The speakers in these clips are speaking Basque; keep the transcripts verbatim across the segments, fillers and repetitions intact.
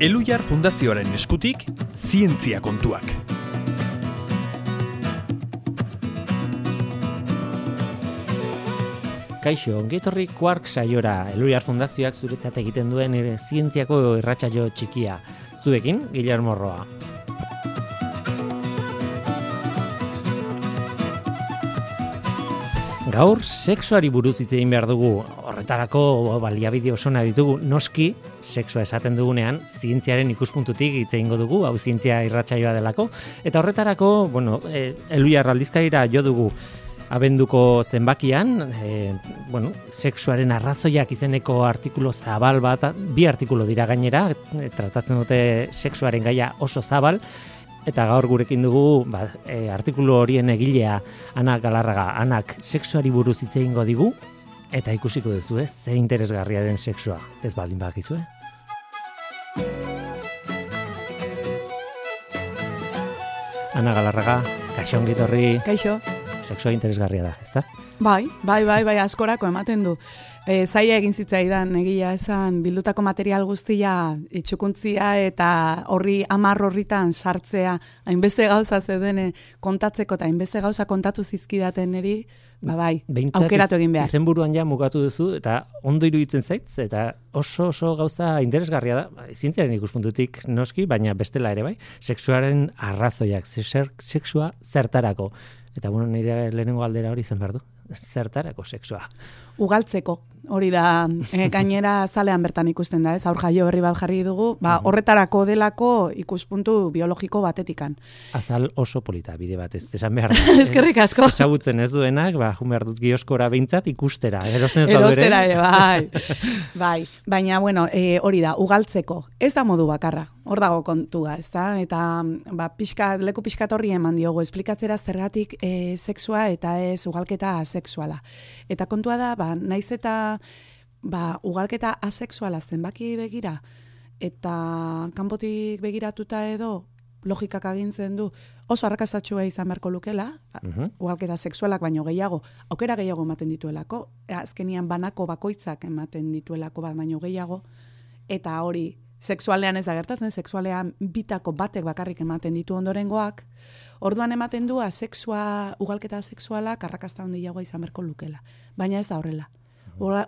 Elhuyar Fundazioaren eskutik, zientzia kontuak. Kaixo, ongetorri Quark saiora, Elhuyar Fundazioak zuretzat egiten duen ere zientziako irratsaio txikia. Zuekin, Guillermo Roa. Gaur, sexuari buruz hitz egin behar dugu. Horretarako baliabide osona ditugu, noski, sexua esaten dugunean, zientziaren ikuspuntutik hitz egingo dugu, hau zientzia irratsaioa delako. Eta horretarako, bueno, e, Elhuyar aldizkarira jo dugu abenduko zenbakian, e, bueno, sexuaren arrazoiak izeneko artikulu zabal bat, bi artikulu dira gainera, e, tratatzen dute sexuaren gaia oso zabal, eta gaur gurekin dugu ba, e, artikulu horien egilea Ana Galarraga. Anak sexuari buruz hitz egingo digu, eta ikusiko duzu ez, ze interesgarria den sexua, ez baldin badakizue. Ana Galarraga, kaixo ongi etorri. Kaixo. Sexua interesgarria da, ezta? Bai, bai, bai, bai, askorako ematen du. E, zaila egin zitzaidan, egia esan, bildutako material guztia, itxukuntzia eta horri amar horritan sartzea, hainbeste gauza zeuden kontatzeko eta hainbeste gauza kontatu zizkidaten eri, ba bai, Behintzat aukeratu egin behar. Izenburuan ja mugatu duzu, eta ondo iruditzen zaitz, eta oso oso gauza interesgarria da, zientziaren ikuspuntutik noski, baina bestela ere bai, sexuaren arrazoiak, sexua zertarako. Eta bueno, nire lehenengo galdera hori zen behar du. Zertarako sexua? Ugaltzeko, hori da, e, gainera zalean bertan ikusten da, ez? Aur jaio berri bat jarri dugu, ba, horretarako delako ikuspuntu biologiko batetikan. Azal oso polita, bide bat, ez esan behar da. Eskerrik asko. Ezagutzen ez duenak, ba, jun behar dut gioskora behintzat ikustera. Erosten ez daude Erostera ere, bai. Bai, baina, bueno, e, hori da, ugaltzeko. Ez da modu bakarra, hor dago kontua, ez da? Eta, ba, pixka, leku pixkat horri eman diogu, esplikatzera zergatik e, sexua eta ez ugalketa asexuala. Eta kontua da, ba, naiz eta ba, ugalketa asexuala zenbaki begira eta kanpotik begiratuta edo logikak agintzen du oso arrakastatsua izan beharko lukela, uh-huh. ugalketa sexualak baino gehiago, aukera gehiago ematen dituelako, azkenian banako bakoitzak ematen dituelako bat baino gehiago, eta hori sexualean ez da gertatzen, sexualean bitako batek bakarrik ematen ditu ondorengoak, orduan ematen du asexua, ugalketa sexualak arrakasta handiagoa izan beharko lukela. Baina ez da horrela.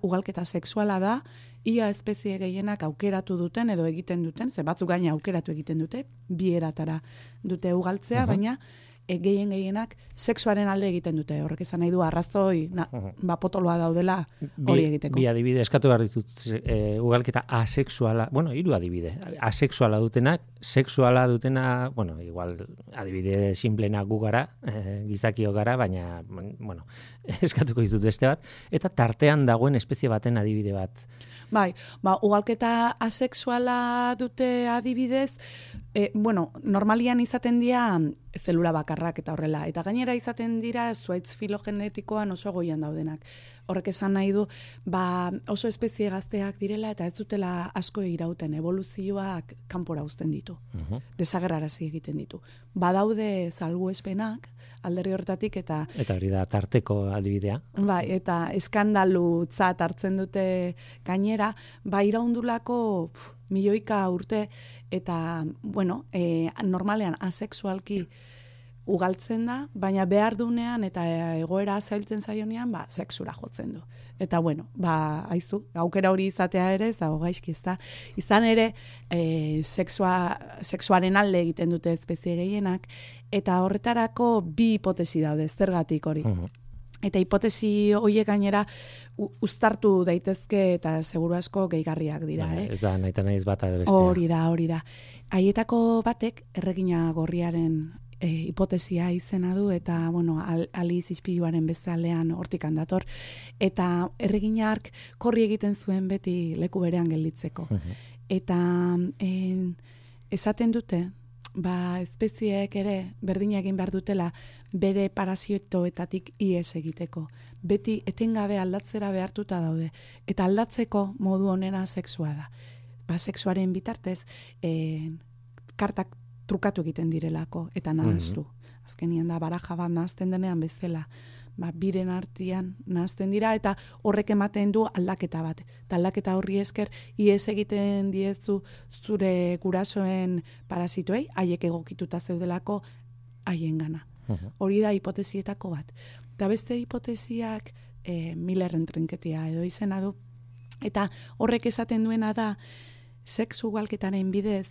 Ugalketa sexuala da, ia espezie gehienak aukeratu duten edo egiten duten, ze batzuk gaina aukeratu egiten dute, bi eratara dute ugaltzea, uh-huh. baina e, gehien gehienak sexuaren alde egiten dute. Horrek esan nahi du arrazoi, na, uh-huh. ba, potoloa daudela hori egiteko. Bi adibide, eskatu behar ditut, e, ugalketa asexuala, bueno, hiru adibide, asexuala dutenak, sexuala dutena, bueno, igual adibide simplena gu gara, e, gizakio gara, baina, bueno, eskatuko dizut beste bat, eta tartean dagoen espezie baten adibide bat. Bai, ba, ugalketa asexuala dute adibidez, e, bueno, normalian izaten dira zelula bakarrak eta horrela, eta gainera izaten dira zuaitz filogenetikoan oso goian daudenak. Horrek esan nahi du, ba, oso espezie gazteak direla eta ez dutela asko irauten, evoluzioak kanpora uzten ditu, uh-huh. desagerrarazi egiten ditu. Badaude salbuespenak, alderri horretatik eta... Eta hori da tarteko adibidea. Bai, eta eskandalutzat hartzen dute gainera, ba iraundulako pf, milioika urte, eta, bueno, e, normalean asexualki ugaltzen da, baina behar dunean eta egoera zailtzen zaionean, ba, sexura jotzen du. Eta, bueno, ba, haizu, aukera hori izatea ere, ez dago gaizki, ez da. Izan ere, e, sexua, sexuaren alde egiten dute espezie gehienak, eta horretarako bi hipotesi daude, zergatik hori. Uh-huh. Eta hipotesi horiek gainera uztartu daitezke eta seguru asko gehigarriak dira. Ba, eh? Ez da, nahi eta nahiz bata edo bestea. Hori da, hori da. Haietako batek erregina gorriaren e, hipotesia izena du, eta, bueno, al, Aliz ispiluaren bezalean hortikan dator, eta erreginark korri egiten zuen beti leku berean gelditzeko. Uh-huh. Eta en, esaten dute, ba, espezieek ere berdina egin behar dutela bere parazitoetatik ihes egiteko. Beti etengabe aldatzera behartuta daude. Eta aldatzeko modu onena sexua da. Ba, sexuaren bitartez, eh, kartak trukatu egiten direlako eta nahaztu. Mm-hmm. Azkenian da baraja bat nahazten denean bezala. ba, biren artean nahazten dira, eta horrek ematen du aldaketa bat. Eta aldaketa horri esker, ies egiten diezu zure gurasoen parasitoei, haiek egokituta zeudelako haien gana. Hori da hipotesietako bat. Eta beste hipotesiak e, Millerren trinketia edo izena du, eta horrek esaten duena da, sexu ugalketaren bidez,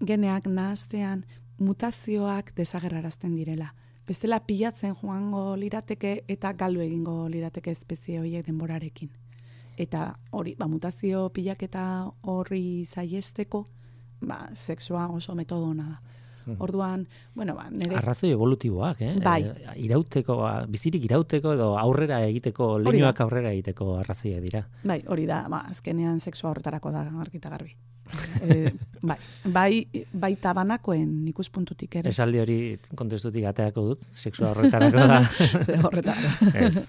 geneak nahaztean, mutazioak desagerrarazten direla. Bestela pilatzen joango lirateke eta galdu egingo lirateke espezie horiek denborarekin. Eta hori, ba, mutazio pilaketa horri saiesteko, ba, sexua oso metodona da. Orduan, bueno, ba, nire... Arrazoi evolutiboak, eh? Bai. E, irauteko, bizirik irauteko edo aurrera egiteko, leinuak aurrera egiteko arrazoiak dira. Bai, hori da, ba, azkenean sexua horretarako da argita garbi. e, bai, bai, bai tabanakoen ikuspuntutik ere. Esaldi hori kontestutik ateako dut, sexua horretarako da. Ze horretarako. Ez,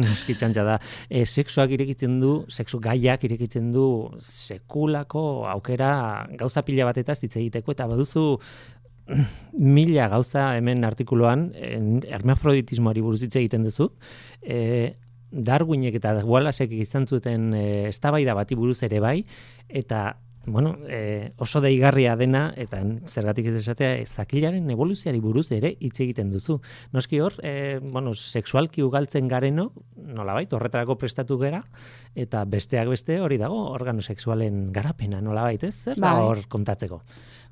noski txantxa da. E, sexuak irekitzen du, sexu gaiak irekitzen du sekulako aukera gauza pila batetaz hitz egiteko, eta baduzu mila gauza hemen artikuluan, hermafroditismoari buruz hitz egiten duzu, e, Darwinek eta Wallacek izan zuten e, eztabaida bati buruz ere bai, eta bueno, e, oso deigarria dena, eta zergatik ez esatea, e, zakilaren evoluzioari buruz ere hitz egiten duzu. Noski hor, e, bueno, sexualki ugaltzen gareno, nolabait, horretarako prestatu gera, eta besteak beste hori dago, organo sexualen garapena, nolabait, ez? Zer da hor kontatzeko?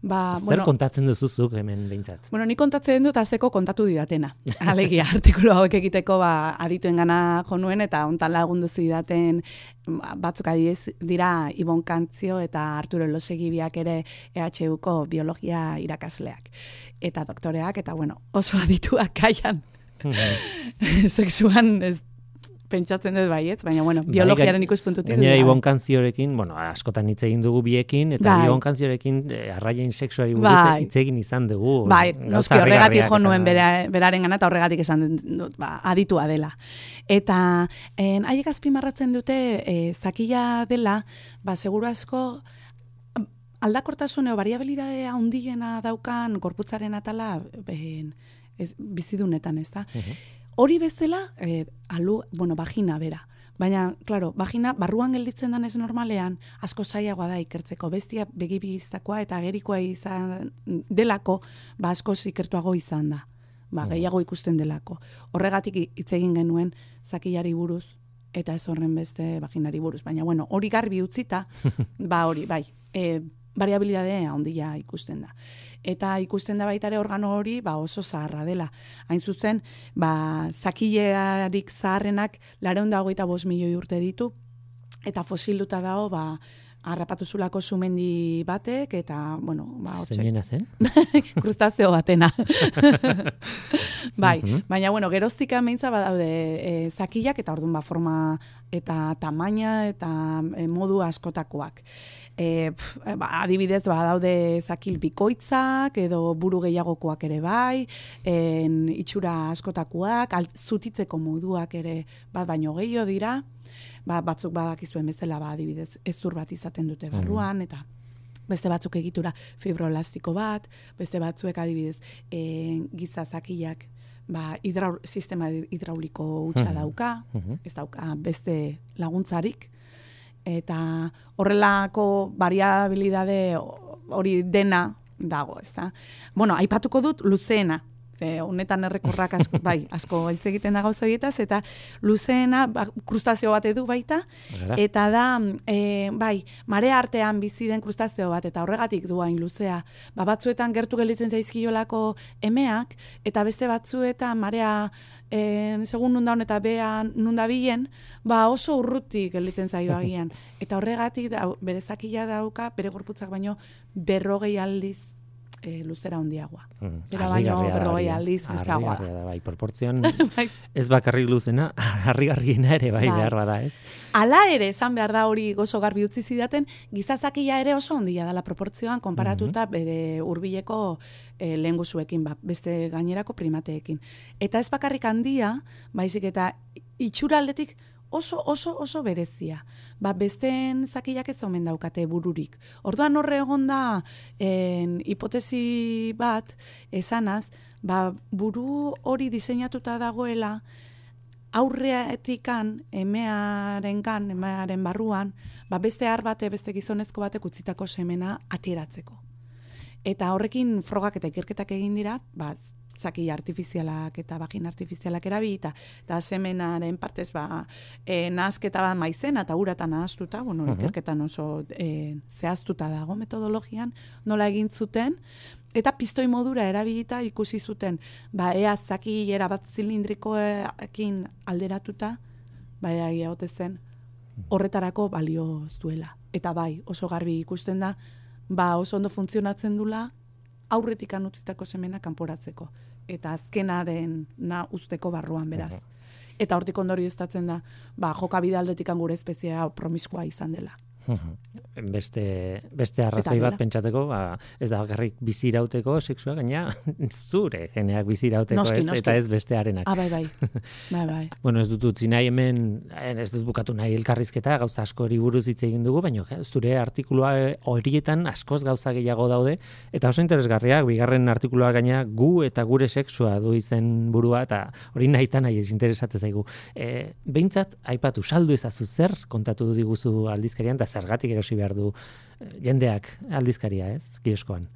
Ba, Zer bueno, kontatzen duzuzuk hemen behintzat? Bueno, ni kontatzen dut azteko kontatu didatena. Alegia, artikulu hauek egiteko ba, adituen gana jo nuen, eta hontan lagundu zidaten batzuk adibidez dira Ibon Kantzio eta Arturo Elosegi biak ere E H Uko biologia irakasleak. Eta doktoreak, eta bueno, oso adituak kaian. Sexuan ez pentsatzen dut baietz, baina bueno, biologiaren ikuspuntutik. Gainera Ibon Kantziorekin, bueno, askotan hitz egin dugu biekin, eta bai. Ibon Kantziorekin eh, arraien sexuari buruz bai. hitz egin izan dugu. Bai, noski horregatik jo nuen bera, beraren gana, eta horregatik esan dut, ba, aditua dela. Eta en, haiek azpimarratzen dute, e, zakila dela, ba, seguru asko, aldakortasun edo variabilidade handiena daukan gorputzaren atala ben, ez, bizidunetan, ez da? Uh-huh. Hori bezala, eh, alu, bueno, vagina bera. Baina, claro, vagina barruan gelditzen danez normalean, asko zailagoa da ikertzeko. Bestia begibiztakoa eta agerikoa izan delako, ba asko ikertuago izan da. Ba, gehiago ikusten delako. Horregatik hitz egin genuen zakilari buruz, eta ez horren beste vaginari buruz. Baina, bueno, hori garbi utzita, ba hori, bai, e, variabilidadea handia ikusten da. Eta ikusten da baita ere organo hori ba oso zaharra dela. Hain zuzen, ba, zakilearik zaharrenak laurehun eta hogeita bost milioi urte ditu, eta fosilduta dago, ba, harrapatu zulako sumendi batek, eta, bueno, ba, hortxe. Zeinena zen? Krustazeo batena. Bai, uh-huh. Baina, bueno, geroztika meintza badaude e, zakilak, eta orduan ba, forma eta tamaina eta e, modu askotakoak. E, pf, ba, adibidez, ba, daude zakil bikoitzak, edo buru gehiagokoak ere bai, en, itxura askotakoak, alt, zutitzeko moduak ere bat baino gehiago dira, ba, batzuk badakizuen bezala, ba, adibidez, ezur bat izaten dute barruan, mm. eta beste batzuk egitura fibroelastiko bat, beste batzuek adibidez e, giza zakilak ba, hidraul, sistema hidrauliko hutsa mm. dauka, mm-hmm. ez dauka beste laguntzarik, eta horrelako variabilidade hori dena dago, ez da? Bueno, aipatuko dut luzeena, ze honetan errekorrak asko, bai, asko hitz egiten da gauza bietaz, eta luzeena ba, krustazio bat edu baita, Gara. Eta da, e, bai, marea artean bizi den krustazio bat, eta horregatik duain luzea, ba, batzuetan gertu gelditzen zaizkiolako emeak, eta beste batzuetan marea En, segun nundaun eta bea nundabilen, ba oso urrutik gelditzen zaio agian. Eta horregatik da, bere zakila dauka, bere gorputzak baino berrogei aldiz e, luzera handiagoa. Mm, Bera baino berrogei aldiz luzeagoa da. Bai, proportzioan ez bakarrik luzena, harrigarriena ere bai, bai behar bada, ez? Hala ere, esan behar da hori gozo garbi utzi zidaten, giza zakila ere oso handia dela proportzioan konparatuta mm-hmm. bere hurbileko e, lehengusuekin, ba, beste gainerako primateekin. Eta ez bakarrik handia, baizik eta itxura aldetik oso, oso, oso berezia. Ba, besteen zakilak ez omen daukate bururik. Orduan horre egon da en, hipotesi bat esanaz, ba, buru hori diseinatuta dagoela aurreatikan, emearengan, emearen barruan, ba beste har bate, beste gizonezko batek utzitako semena ateratzeko. Eta horrekin frogak eta ikerketak egin dira, ba, zaki artifizialak eta bagin artifizialak erabilita, eta semenaren partez ba, e, nahazketa bat maizena eta uratan nahaztuta, bueno, uh-huh. ikerketan oso e, zehaztuta dago metodologian, nola egin zuten, eta pistoi modura erabilita ikusi zuten, ba, ea zaki erabat zilindrikoekin alderatuta, ba, ea egote zen, horretarako balio zuela. Eta bai, oso garbi ikusten da, ba, oso ondo funtzionatzen dula, aurretik anutzitako semena kanporatzeko. Eta azkenaren na usteko barruan beraz. Eta hortik ondorio estatzen da, ba, jokabide aldetik gure espeziea promiskua izan dela. Beste, beste arrazoi bat pentsateko, ba, ez da bakarrik bizi irauteko sexua, gaina zure geneak bizi irauteko, noski, ez, noski. eta ez bestearenak. Ah, bai, bai. bai, bai. Bueno, ez dut utzi nahi hemen, ez dut bukatu nahi elkarrizketa, gauza askori buruz hitz egin dugu, baina zure artikulua horietan askoz gauza gehiago daude, eta oso interesgarriak, bigarren artikulua gaina gu eta gure sexua du izen burua, eta hori nahi eta nahi ez interesatzen zaigu. E, behintzat, aipatu, saldu ezazu zer, kontatu diguzu aldizkarian, eta zergatik erosi behar du jendeak aldizkaria, ez? Kioskoan.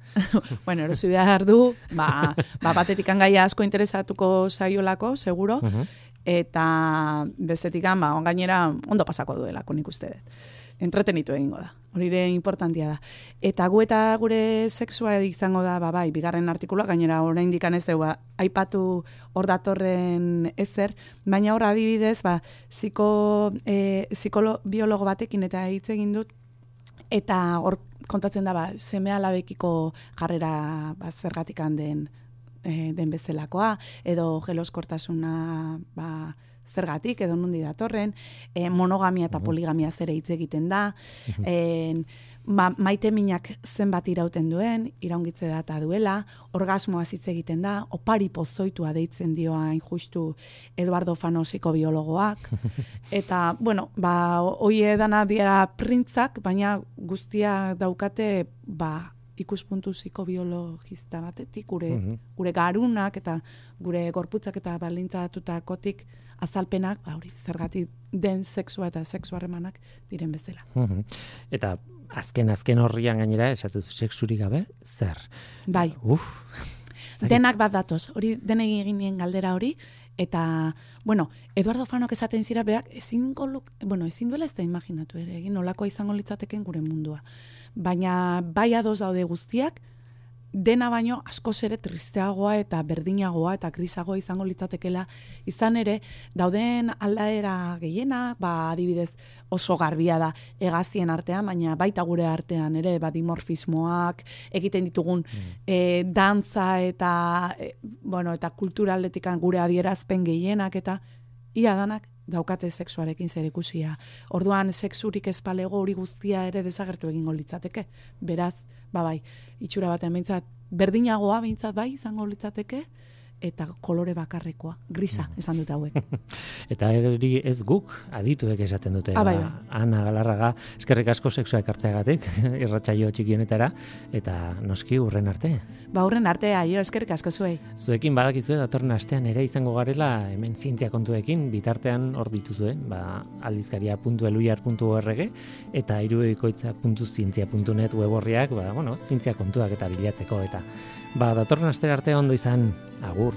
Bueno, erosi behar du, ba, ba batetik gaia asko interesatuko saiolako, seguro, uh-huh. eta bestetik ba, gainera ondo pasako duelako nik uste dut. Entretenitu egingo da. Hori ere importantia da. Eta gu eta gure sexua izango da, ba, bai, bigarren artikulua, gainera oraindik ez du, ba, aipatu hor datorren ezer, baina hor adibidez, ba, psiko, e, psikolo, biologo batekin eta hitz egin dut, eta hor kontatzen da, ba, seme alabekiko jarrera ba, zergatik den, e, den bezalakoa, edo jeloskortasuna, ba, zergatik, edo nundi datorren, e, monogamia eta poligamia zere hitz egiten da, e, ma, maite minak zenbat irauten duen, iraungitze data duela, orgasmoa hitz egiten da, opari pozoitua deitzen dioain justu Eduardo Fanosiko biologoak, eta, bueno, ba, hoie dana dira printzak, baina guztia daukate, ba, ikuspuntu psikobiologista batetik, gure, uh-huh. gure garunak eta gure gorputzak eta balintzatutakotik azalpenak, ba, hori, zergatik den sexua eta sexu harremanak diren bezala. Uh-huh. Eta azken azken horrian gainera esatu sexurik gabe, zer? Bai. Uf. Denak bat datoz, hori denek eginien galdera hori, eta, bueno, Eduardo Fanok esaten zira beak, ezin, bueno, ezin duela ez da imaginatu ere, egin nolakoa izango litzateken gure mundua. Baina bai ados daude guztiak, dena baino askoz ere tristeagoa eta berdinagoa eta grisagoa izango litzatekela, izan ere, dauden aldaera gehiena, ba, adibidez oso garbia da hegazien artean, baina baita gure artean ere, ba, dimorfismoak, egiten ditugun mm. e, dantza eta, e, bueno, eta kulturaldetik gure adierazpen gehienak eta ia danak daukate sexuarekin zer ikusia. Orduan sexurik ez palego hori guztia ere desagertu egingo litzateke. Beraz, ba bai, itxura batean behintzat, berdinagoa behintzat bai izango litzateke, eta kolore bakarrekoa, grisa, esan dut hauek. Eta hori ez guk, adituek esaten dute. Ah, bai, ba, Ana Galarraga, eskerrik asko sexua ekartzeagatik, irratsaio txikionetara, eta noski urren arte. Ba, urren arte, aio, eskerrik asko zuei. Zuekin badakizue datorren astean ere izango garela hemen zientzia kontuekin, bitartean hor dituzue, ba, aldizkaria puntu eluiar puntu org eta hirukoitza puntu zientzia puntu net web orriak, ba, bueno, zientzia kontuak eta bilatzeko, eta ba, datorren astera arte ondo izan, agur.